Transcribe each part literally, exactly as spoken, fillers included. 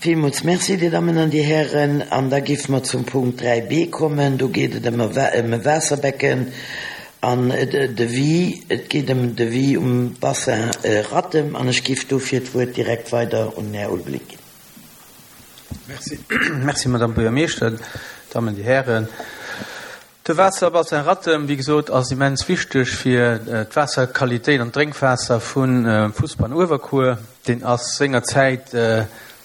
Villmools Merci, Dir Dammen an Dir Hären. An da géife mer zum Punkt dräi b kommen. Do geet et ëm e Waasserbecken an Devis. Et geet ëm en Devis um Bassin Rattem. An ech géif dofir d'Wuert direkt weider un den Här Ulveling ginn. Merci, Merci, Madame Buergermeeschter, Dammen, Dir Hären. De Waasserbassin Rattem, wéi gesot, ass immens wichteg fir d'Waasserqualitéit an d'Drénkwaasser vu Fussball an Uewerkuer. Deen ass sengerzäit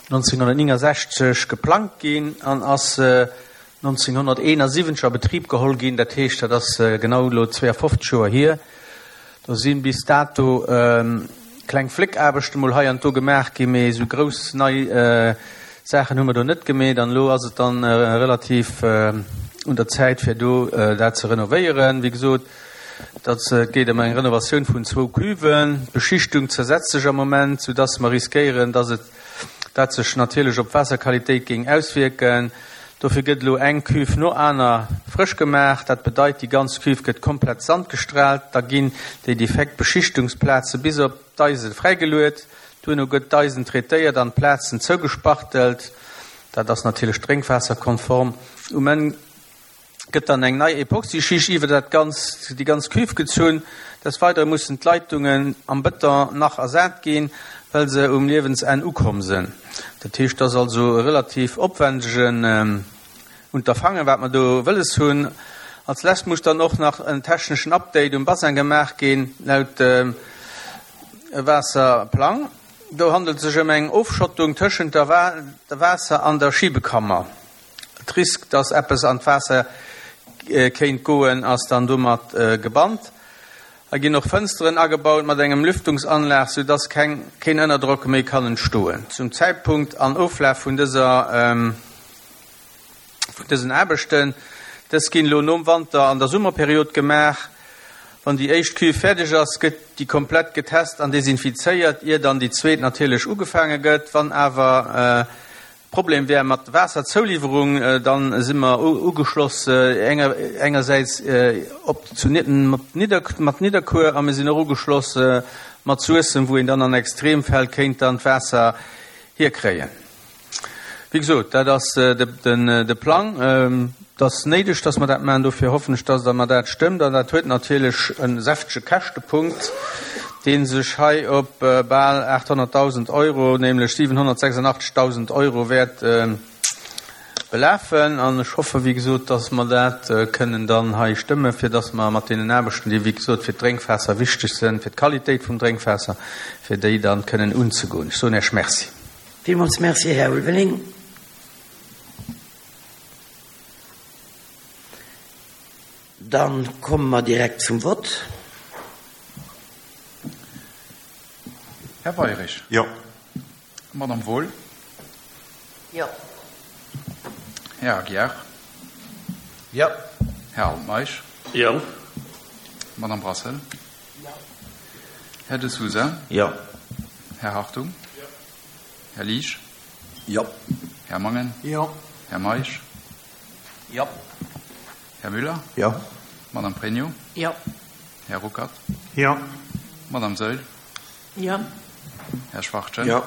nonzénghunnertnéngensechzeg geplangt ginn an ass nonzénghunnerteenasiwwenzeg a Betrib geholl ginn. Dat heescht, dat ass genau elo zweeafofzeg Joer hier. Do si bis dato kleng Fléckaarbechte mol hei an do gemaach ginn, mee esou grouss nei Saachen hu mer do net gemeet. An elo ass et dann relativ un der Zäit, fir do dat ze renovéieren. Wéi gesot, dat geet ëm eng Renovatioun vun zwou Cuven. D'Beschichtung zersetzt sech am Moment, soudass mer riskéieren, dass et dat sech natierlech op d'Waasserqualitéit géing auswierken. Dofir gëtt elo eng Cuve no aner frësch gemaach. Dat bedeit, déi ganz Cuve gëtt komplett sandgestrahlt. Da ginn déi defekt Beschichtungsplaze bis op d'Eise fräigeluet. Duerno gëtt d'Eisen traitéiert an d'Plazen zougespachtelt. Dat ass natierlech drénkwaasserkonform. Um Enn gëtt dann eng nei Epoxyschicht iwwer dat ganz, déi ganz Cuve gezunn. Des Weidere mussen d'Leitungen am Bëton nach ersat ginn, well se um Liewensenn ukomm sinn. Dat heescht, et ass also e relativ opwändegen Unterfangen, wat mer do wëlles hunn. Als lescht muss dann och nach en techneschen Update um Bassin gemaach ginn, laut Waasserplang. Do handelt et sech ëm eng Ofschottung tëschent der Waasser an der Schibekammer. D'Risk, dass eppes an d'Waasser kéint goen, ass dann domat gebannt. Hei ginn och Fënsteren agebaut mat engem Lüftungsanlag, sou dass keng keen Ënnerdrock méi kann entstoen. Zum Zäitpunkt an Oflaf vun dëser vun dësen Aarbechten, dës ginn elo nom Wanter an der Summerperiod gemaach. Wann déi éischt Cuve fäerdeg ass, gëtt déi komplett getest an desinfizéiert, ier dann déi zweet natierlech ugefaange gëtt. Wann awer Problem wär mat Waasserzouliwwerung, dann si mer ugeschloss engersäits op zu mat Nidderkuer a mir sinn och ugeschloss mat Suessem, wou een dann an Extremfäll kéint dann d'Waasser hierkréien. Wéi gesot, dat ass de Plang. Et ass néideg, dass mer dat maachen. Dofir hoffen ech, dass Der mer dat stëmmt. An dat huet natierlech e säftege Käschtepunkt, dee sech hei op bal aathonnertdausend Euro, nämlech siwenhonnertsechsundachtzegdausend Euro wäert belafen. An ech hoffe, wéi gesot, dass mer dat kënnen dann hei stëmmen, fir dass mer mat deenen Aarbechten, déi, wéi gesot, fir d'Drénkwaasser wichteg sinn, fir d'Qualitéit vum Drénkwaasser, fir déi dann kënnen unzegoen. Ech soen Iech Merci. Villmools Merci, Här Ulveling. Dann komme mer direkt zum Vott. Här Weirich. Jo. Madame Wohl. Jo. Här Aguiar. Jo. Här Altmeisch. Jo. Madame Brassel. Jo. Här De Sousa. Jo. Här Hartung. Jo. Här Liesch. Jo. Här Mangen. Jo. Här Meisch. Jo. Här Müller. Jo. Madame Pregno. Jo. Här Ruckert. Jo. Madame Saeul. Jo. Här Schwachtgen. Jo.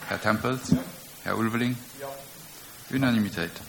Här Tempels. Jo. Här Ulveling. Jo. Unanimitéit.